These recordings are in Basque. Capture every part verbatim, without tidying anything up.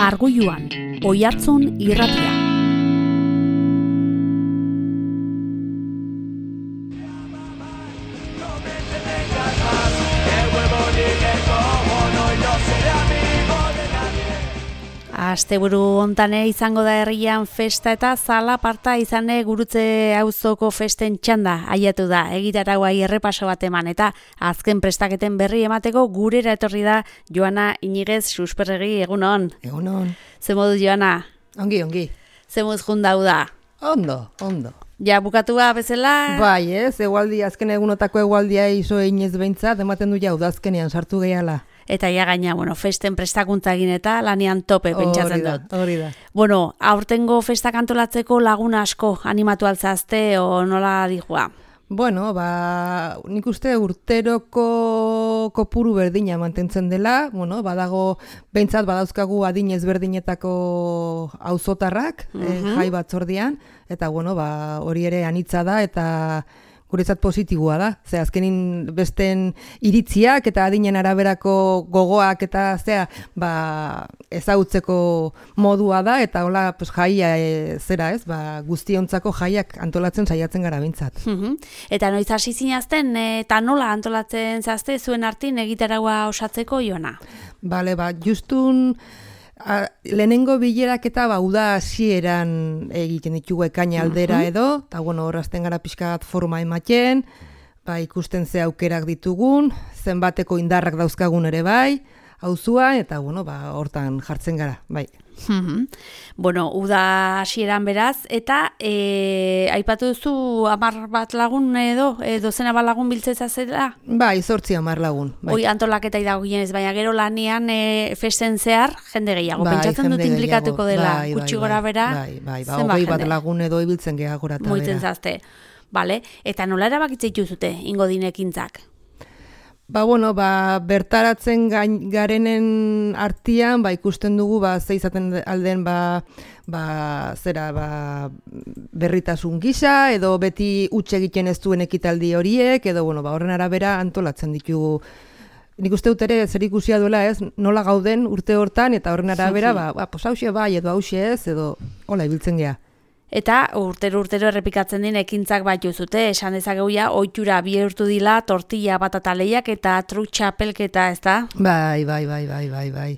Arguiluan, Oihartzun irratia. Asteburu hontan izango da herrian festa eta zalaparta izane gurutze auzoko festen txanda aiatu da. Egitarauai errepaso bat eman eta azken prestaketen berri emateko gurera etorri da Joana Iñiguez susperregi, egunon. Egunon. Ze modu, Joana? Ongi, ongi. Ze moduz jundau da? Ondo, ondo. Ja, bukatua bezala? Bai, ez, egualdi, azken egunotako egualdia iso einez behintzat, ematen du jau da azkenean sartu gehala. Eta ja gaina, bueno, festen prestakuntza egin eta lanean tope pentsatzen dut. Hori da. Bueno, aurtengo festak antolatzeko lagun asko animatu altzazte o nola dijua? Bueno, ba, nik uste urteroko kopuru berdina mantentzen dela, bueno, badago, behintzat badauzkagu adin ezberdinetako auzotarrak, uh-huh. eh, jai batzordian, eta bueno, ba, hori ere anitza da, eta guretzat positiboa da. Ze azkenin besten iritziak eta adinen araberako gogoak eta zea, ba, ezagutzeko modua da, eta hola pues, jaia e, zera ez, ba, guztiontzako jaiak antolatzen saiatzen gara bintzat. Uh-huh. Eta noiz hasi zinazten, eta nola antolatzen zazte zuen artin egitaraua osatzeko, Joana? Bale, ba, justun A, lehenengo bilerak eta ba, uda hasieran egiten ditugu ekaina aldera edo, eta bueno, horrazten gara pixka bat forma ematen, ba, ikusten ze aukerak ditugun, zenbateko indarrak dauzkagun ere bai, auzua, eta bueno, ba, hortan jartzen gara, bai. Mm-hmm. Bueno, uda hasieran beraz, eta e, aipatu duzu hamar bat lagun edo, e, dozena bat lagun biltzeza zela? Bai, zortzi hamar lagun. Bai. Hoi antolaketa idagoienez, baina gero lanean e, festen zehar jende gehiago. Bai, pentsatzen dut implikatuko dela, bai, gutxi bai, gora bera, bai, bai, bai, hogei bat lagun edo ibiltzen geha gora eta bera. Moitzen zazte, bale, eta nola erabakitzeitu zute, ingo dinekintzak? Ba, bueno, ba, bertaratzen gain, garenen artian, ba, ikusten dugu, ba, ze izaten alden, ba, ba, zera, ba, berritasun gisa, edo beti huts egiten ez duen ekitaldi horiek, edo, bueno, ba, horren arabera antolatzen ditugu. Nik uste dut ere zer ikusia duela ez, nola gauden urte hortan, eta horren arabera, ba, ba pos hauxe bai, edo hauxe ez, edo, hola, ibiltzen geha. Eta urtero urtero errepikatzen din ekintzak bat juzute, esan dezageuia, ohitura bihurtu dila, tortilla batataleiak eta trutxapelketa, ez da? Bai, bai, bai, bai, bai, bai.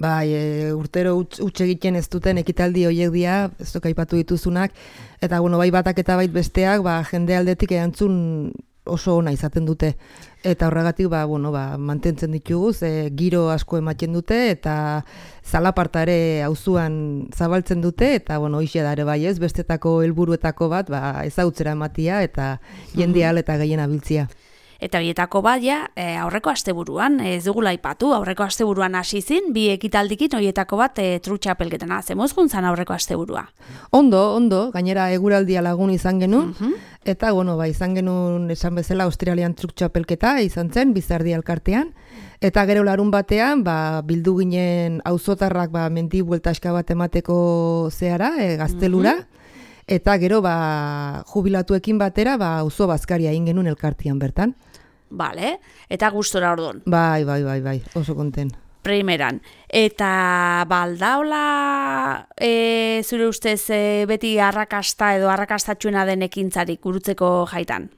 Bai, e, urtero huts egiten ez duten ekitaldi horiek dira, ez duk aipatu dituzunak, eta bueno, bai batak eta bait besteak, ba, jende aldetik erantzun oso ona izaten dute. Eta horregatik ba, bueno, ba, mantentzen ditugu, ze giro asko ematen dute, eta zalaparta ere auzuan zabaltzen dute, eta bueno, hoxe da ere bai ez, bestetako helburuetako bat, ba, ezautzera ematia, eta jendea eta gehien abiltzia. Eta bietako bat, ja, e, aurreko asteburuan, ez dugula aipatu, aurreko asteburuan hasi zin, bi ekitaldikin horietako bat e, trutxapelketena. Zemoz guntzan aurreko asteburua? Ondo, ondo, gainera eguraldia lagun izan genuen, uh-huh. eta bueno, ba, izan genuen esan bezala Australian trutxapelketa izan zen, Bizardi elkartean, eta gero larun batean, ba, bildu ginen auzotarrak ba, mendi bueltaska bat emateko zehara, e, gaztelura, uh-huh. eta gero ba, jubilatuekin batera, ba, auzo bazkaria egin genuen elkartean bertan. Bale, eta gustora ordon. Bai, bai, bai, bai, oso konten. Primeran. Eta baldaola e, zure ustez e, beti arrakasta edo arrakastatxuena den ekintzarik gurutzeko jaitan?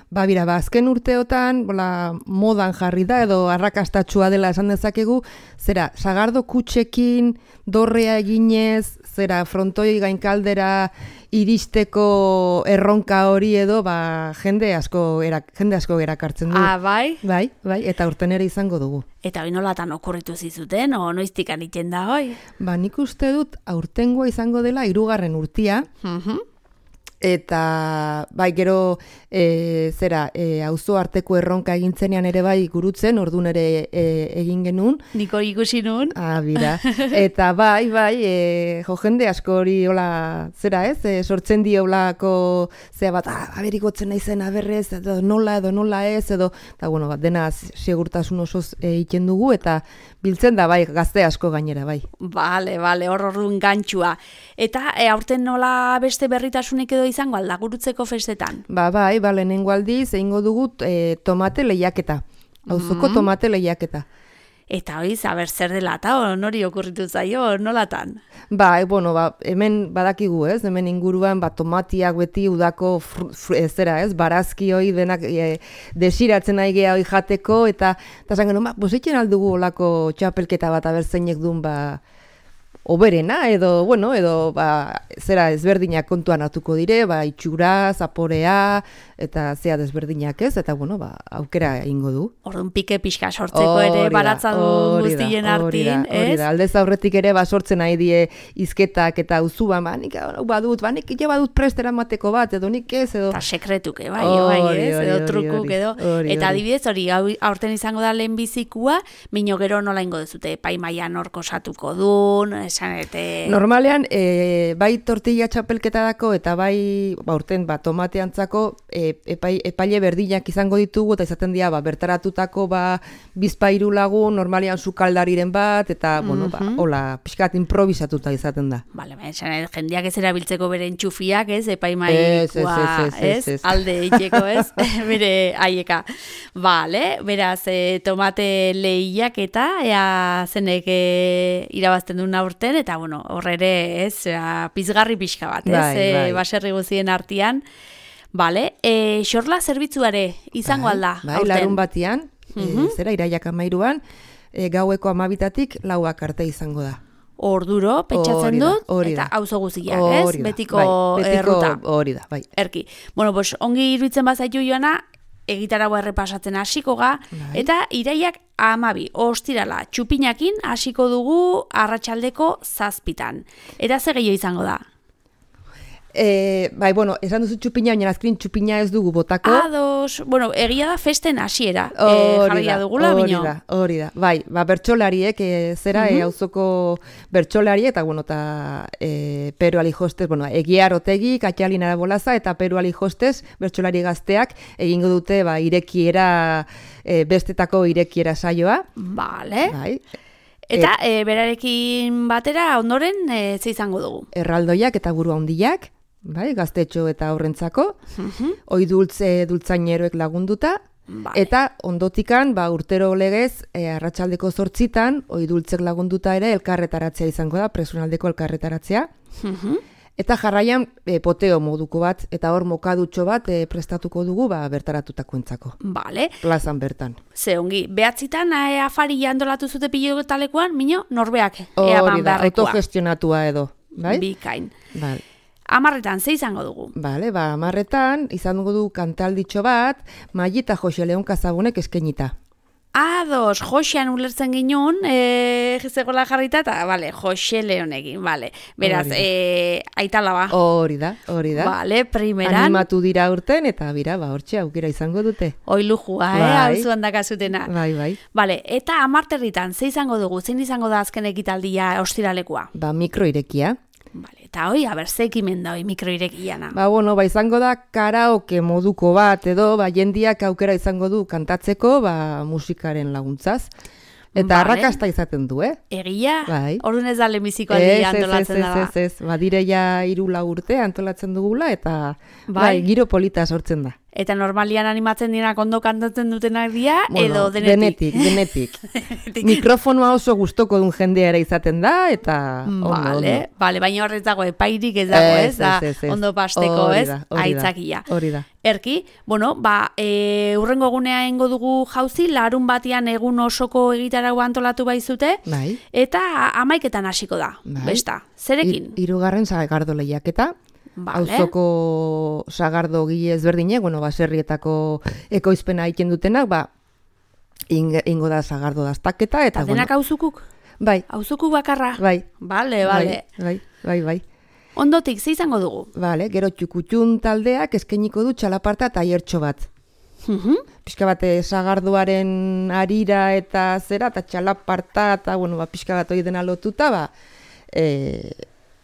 Ba, bira, ba, azken urteotan, bola, modan jarri da, edo arrakastatxua dela esan dezakegu, zera, sagardo kutxekin, dorrea eginez, zera, frontoi gainkaldera iristeko erronka hori edo, ba, jende asko, erak, jende asko erakartzen du. Ah, bai? Bai, bai, eta urten ere izango dugu. Eta hori nolatan okurritu zizuten, o noiztik anitzen da hoi? Ba, nik uste dut, aurtengoa izango dela hirugarren urtia, uh-huh. Eta bai gero e, zera e, auzo arteko erronka egintzenean ere bai gurutzen, ordun ere e, egin genuen. Niko ikusi nun. Ah, bira. Eta bai, bai, e, jo jende asko hori hola zera ez, e, sortzen dio holako zea bat, ah, aberikotzen naizen aberrez, edo nola edo nola ez, edo, eta bueno, bat, dena segurtasun osoz egiten dugu, eta biltzen da bai, gazte asko gainera, bai. Bale, bale, hor orduan gantzua. Eta e, aurten nola beste berritasunik edo izango alda gurutzeko festetan? Ba, bai, ba, lehenengo aldiz egingo dugu e, tomate lehiaketa. Auzoko mm-hmm. tomate lehiaketa. Eta hoi, zaber zer dela, eta nori okurritu zaio, nolatan? Ba, e, bueno, ba, hemen badakigu, ez? Hemen inguruan, ba, tomatiak beti udako fr, fr, ez, zera, ez? Barazki hoi denak e, desiratzen nahi geha hoi jateko, eta eta zan genuen, ba, bositzen aldugu olako txapelketa bat abertzeinek duen, ba, oberena, edo, bueno, edo, ba, zera ezberdinak kontuan hartuko dire, ba, itxura, zaporea, eta zea desberdinak ez, eta, bueno, ba, aukera ingo du. Orduan pike pixka sortzeko ere baratzadun guztien artin, ez? Hori da, aldez aurretik ere, ba, sortzen nahi die izketak eta uzuban, ba, nik badut, ba, nik ja badut prestera mateko bat, edo nik ez, edo... Eta sekretuke, bai, bai, ez, edo trukuk, edo... Eta adibidez, hori, aurten izango da lehen bizikua, mino gero nola ingo dezute, epaimaian horko satuko dun, esanete... Normalean, e, bai tortilla txapelketadako eta bai, ba, urten, ba, tomateantzako e, epai, epaile berdinak izango ditugu, eta izaten dira, ba, bertaratutako, ba, bizpairu lagun, normalean sukaldariren bat, eta, mm-hmm. bueno, ba, hola, pixkat improvisatuta izaten da. Bale, ba, esanete, jendeak ez erabiltzeko beren txufiak, ez, epaimaikoa, ez, ez, alde eiteko, ez, bere aieka. Bale, beraz, e, tomate lehiak eta, ea zenek e, irabazten duen aurten, eta bueno, horre ere, ez, pizgarri pixka bat, ez, bai, bai. E, baserri guztien artean. Bale, e, xorla zerbitzuare izango bai, alda, bai, aurten? Larun batian, uh-huh. e, zera, iraiak amairuan, e, gaueko amabitatik lauak arte izango da. Orduro, pentsatzen da, dut, eta auzo guziak, ez? Da, betiko, bai, betiko erruta. Hori da, bai. Erki. Bueno, pues, ongi iruditzen bazaitu joana, egitaragoa errepasatzen hasiko ga, bai. Eta iraiak amabi, ostirala, txupinakin hasiko dugu arratsaldeko zazpitan. Eta ze gehiago izango da? E, bai, bueno, esan duzu txupina, baina azkrin txupina ez dugu botako. Ados, bueno, egia da festen hasiera e, jarria dugula, bino. Hori da, hori da, bai, ba, bertsolariek, e, zera, uh-huh. e, auzoko bertsolari, eta, bueno, eta e, Pero Alijostez, bueno, Egiar Otegi, Katxalin Arabolaza, eta Pero Alijostez, bertsolari gazteak, egingo dute, ba, irekiera, e, bestetako irekiera saioa. Vale. Bai. Eta e, berarekin batera, ondoren, e, ze izango dugu? Erraldoiak eta buru handiak. Bai, gaztetxo eta aurrentzako, uh-huh. oi dultze dultzaineroek lagunduta, vale. Eta ondotikan, ba, urtero legez, e, arratsaldeko zortzitan, oi dultzek lagunduta ere elkarretaratzea izango da, presunaldeko elkarretaratzea. Uh-huh. Eta jarraian e, poteo moduko bat, eta hor mokadutxo bat e, prestatuko dugu ba, bertaratutakoentzako. Vale. Plazan bertan. Ze ongi, behatzitan e, afari jandolatu zute pilotalekoan, mino, norbeak eaman beharrekoa. Autogestionatua edo, bai? Bikain. Vale. Amarretan, ze izango dugu? Bale, ba, amarretan, izango du kantalditxo bat, Maili eta Jose Leon Kazagunek eskenita. Ados, Josean ulertzen ginun, e, zegoela jarrita, eta, bale, Jose Leonekin, bale. Beraz, e, aitala ba. Hori da, hori da. Bale, primeran. Animatu dira urten, eta bira, ba, hortxe aukera izango dute. Oi lujua, bai. eh, hau zuan dakazutena. Bai, bai. Bale, eta amarterritan, ze izango dugu, zein izango da azken ekitaldia ostiralekoa? Ba, mikroirekia. Vale, eta hoi, aber, ze ekimen da hoi mikroirekiana? Ba, bueno, ba, izango da karaoke moduko bat, edo, ba, jendiak aukera izango du kantatzeko, ba, musikaren laguntzaz. Eta vale. Arrakasta izaten du, eh? Egia? Bai. Orduan ez da lehenbiziko aldia antolatzen da. Ez, ez, ez, ez, ba, dire ja hiru lau urte antolatzen dugula, eta bai. Bai, giro polita sortzen da. Eta normalian animatzen dienak ondo kantatzen dutenak dira, bueno, edo denetik? Denetik, denetik. Mikrofonoa oso gustoko duen jendea ere izaten da, eta ondo, vale, ondo. Vale, baina horrez dago, epairik ez dago, ez? Da, ez, ez, ez. Ondo pasteko, ez? Aitzakia. Hori da. Erki, bueno, ba, e, urrengo egunea ingo dugu jauzi, larun batian egun osoko egitarago antolatu baizute, bai. Eta amaiketan hasiko da, bai. Besta, zerekin? Hirugarren sagardo lehiaketa. Vale. Auzoko sagardo gile ezberdinek, bueno, baserrietako ekoizpena egiten dutenak, ba, ingo da sagardo daztaketa. Eta denak bueno, auzukuk? Bai. Auzukuk bakarra? Bai. Bale, bale. Bai, bai, bai. Ondotik, ze izango dugu? Bale, gero txukutxun taldeak eskainiko du txalaparta taiertxo bat. Uh-huh. Pixka bat sagardoaren arira eta zera, eta txalaparta, eta bueno, ba, pixka bat hori dena lotuta, ba, e,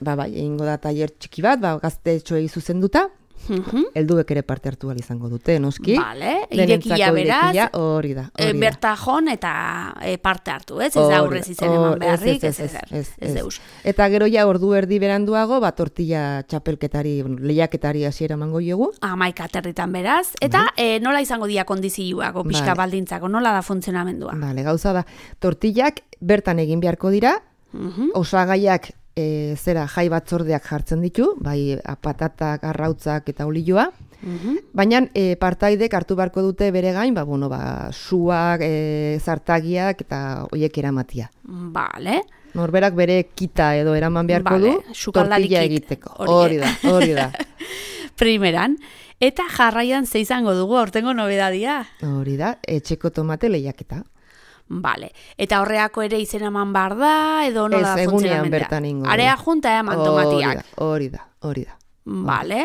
ba, bai, egingo da taier txiki bat, ba, gaztetxoei zuzenduta. Mhm. Helduek ere parte hartu ahal izango dute, noski. Vale, Denentzako irekia beraz, irekia, hori da, e, hori da. bertajon eta e, parte hartu, ez? Ez Hori da da, aurrez izen hor- eman beharrik, ez, ez, ez, ez, ez, ez, ez. deus. Eta gero ja ordu erdi beranduago, ba, tortilla txapelketari, bueno, lehiaketari hasiera emango diogu. Amaika aterritan beraz, eta e, nola izango dira kondizioak, o pixka Vale. baldintzako, nola da funtzionamendua? Vale, gauza da, tortillak bertan egin beharko dira, Mhm. osagaiak e, zera jai batzordeak jartzen ditu, bai patatak, arrautzak eta olioa, Mhm. baina e, partaidek hartu beharko dute bere gain, ba, bueno, ba, suak, e, zartagiak eta hoiek eramatia. Vale. Norberak bere kita edo eraman beharko Vale, du, sukaldari tortilla kit, egiteko. hori Hori da, hori da. Primeran. Eta jarraian ze izango dugu, aurtengo nobedadia. Hori da, etxeko tomate lehiaketa. Vale. Eta horreako ere izena eman bar da, edo nola Ez, da egunean funtzionamendua? bertan ingo du. Area junta eman tomatiak. Hori da, hori da. Vale.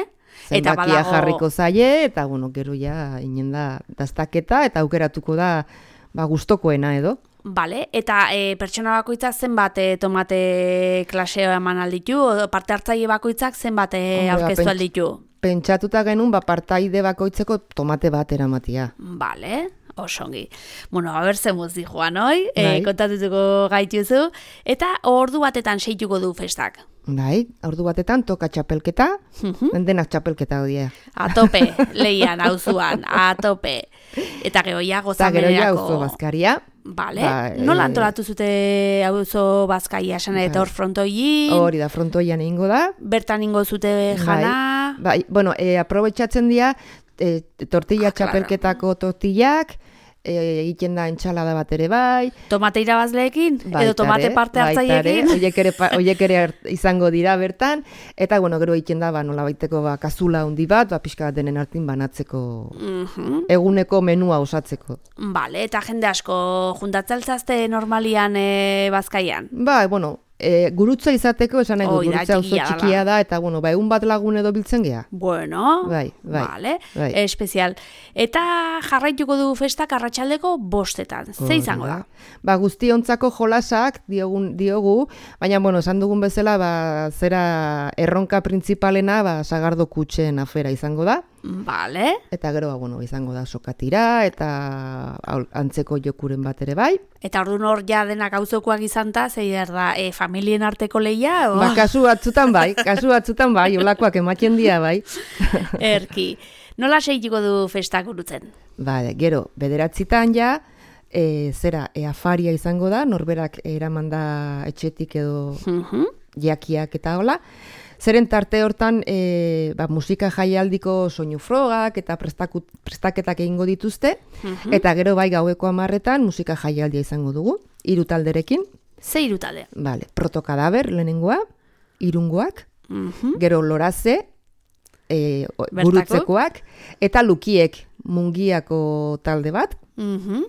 Eta Zenbakia badago... jarriko zaie, eta bueno, gero ja inen da daztaketa, eta aukeratuko da ba, gustokoena edo. Vale, eta e, pertsona bakoitzak zenbat e, tomate klaseo eman alditu, o parte hartzaile bakoitzak zenbat e, Hombre, ba, aurkeztu pents- alditu? Pentsatuta genuen, ba, partaide bakoitzeko tomate bat eramatia. Vale, osongi. Bueno, a ber zemuz di joan, oi? E, Bai. kontatutuko gaituzu. Eta ordu batetan seituko du festak. Bai, ordu batetan toka txapelketa, Mhm. denak txapelketa hodia. A tope, leian, auzuan, a tope. Eta gero ja Eta gero ja gozamenerako... auzo bazkaria. Vale, Ba, nola eh, antolatu zute auzo bazkaia esan eta Bai. hor frontoiin, Hori da, frontoian egingo da. bertan ingo zute jana... Bai, bueno, e, aprobetxatzen dira e, tortilla Ah, claro. txapelketako tortillak, e, egiten da entxalada bat ere bai, Tomate irabazleekin, edo tomate Baitare, parte baitare, hartzaileekin. Hoiek ere, pa- hoiek ere hart- izango dira bertan, eta bueno, gero egiten da, ba, nola baiteko ba, kazula handi bat, ba, pixka bat denen artin banatzeko, Mhm. eguneko menua osatzeko. Vale, eta jende asko juntatzaltzazte normalian e, bazkaian. Ba, bueno, e, gurutza izateko, esan nahi dut, Hoi da, gurutza oso txikia dela. txikia da, eta bueno, ba, egun bat lagun edo biltzen gea. Bueno, Bai, bai, vale, bai. espezial. Eta jarraituko du festak arratsaldeko bostetan. Ze Hori izango da? Ba, guztiontzako jolasak diogun, diogu, baina, bueno, esan dugun bezala, ba, zera erronka printzipalena, ba, sagardo kutxen afera izango da. Vale, Eta gero, ba, bueno, izango da sokatira, eta aul- antzeko jokuren bat ere bai. eta orduan hor ja denak auzokoak izanta, zeier da, e, familien arteko lehia, o? Ba, kasu batzutan bai, kasu batzutan bai, olakoak ematen dira bai. Erki. Nola seituko du festak gurutzen? Ba, gero, bederatzitan ja, e, zera, e, afaria izango da, norberak eraman da etxetik edo Mhm. jakiak eta hola. Zeren tarte hortan e, ba, musika jaialdiko soinu frogak eta prestaku, prestaketak egingo dituzte, Mhm. eta gero bai gaueko hamarretan musika jaialdia izango dugu, hiru talderekin. Ze hiru talde? Vale, protokadaber lehenengoa, irungoak, Mhm. gero loraze, e, o- Bertako? gurutzekoak, eta lukiek mungiako talde bat, Mhm.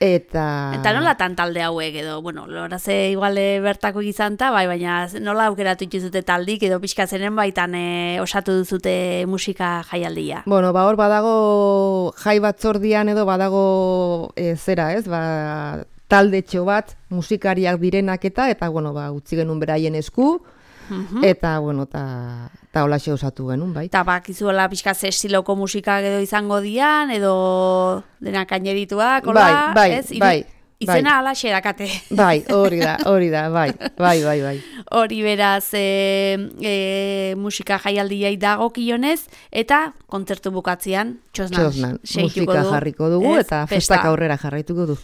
eta... Eta nola tan talde hauek edo, bueno, loraze igual e, bertako izanta, bai, baina nola aukeratu ituzute taldik edo pixka zenen baitan e, osatu duzute musika jaialdia. Bueno, ba hor badago jai batzordian edo badago e, zera, ez? Ba, taldetxo bat musikariak direnak eta eta bueno, ba utzi genuen beraien esku Mhm. eta bueno, ta ta holaxe osatu genuen, bai. Eta bakizuela pixka ze estiloko musika edo izango dian, edo denak ainerituak, hola, Bai, bai, ez? Iru- bai, Izena bai. alaxe dakate. Bai, hori da, hori da, bai, bai, bai, bai. Hori beraz e, e, musika jaialdiai dagokionez eta kontzertu bukatzean txosnan, Txosnan, seituko musika du, jarriko dugu ez? eta Festa. festak aurrera jarraituko du.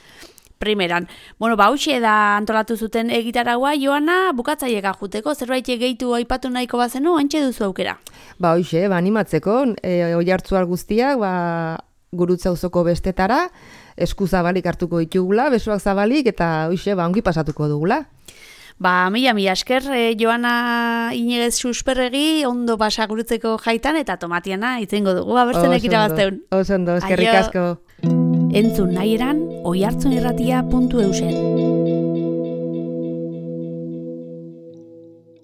Primeran. Bueno, ba, hauxe da antolatu zuten egitaragoa, Joana, bukatzaieka juteko, zerbait gehitu aipatu nahiko bazenu, antxe duzu aukera. Ba, hoixe, ba, animatzeko, e, oihartzuar guztiak, ba, gurutza auzoko bestetara, esku zabalik hartuko ditugula, besoak zabalik, eta hoixe, ba, ongi pasatuko dugula. Ba, mila, mila esker, eh, Joana Inegez susperregi, ondo pasa gurutzeko jaitan, eta tomatiana itzengo dugu, abertzenek Oso ondo, irabazteun. Oso ondo, eskerrik Aio. asko. Entzun nahi eran, oihartzun irratia puntu eusen.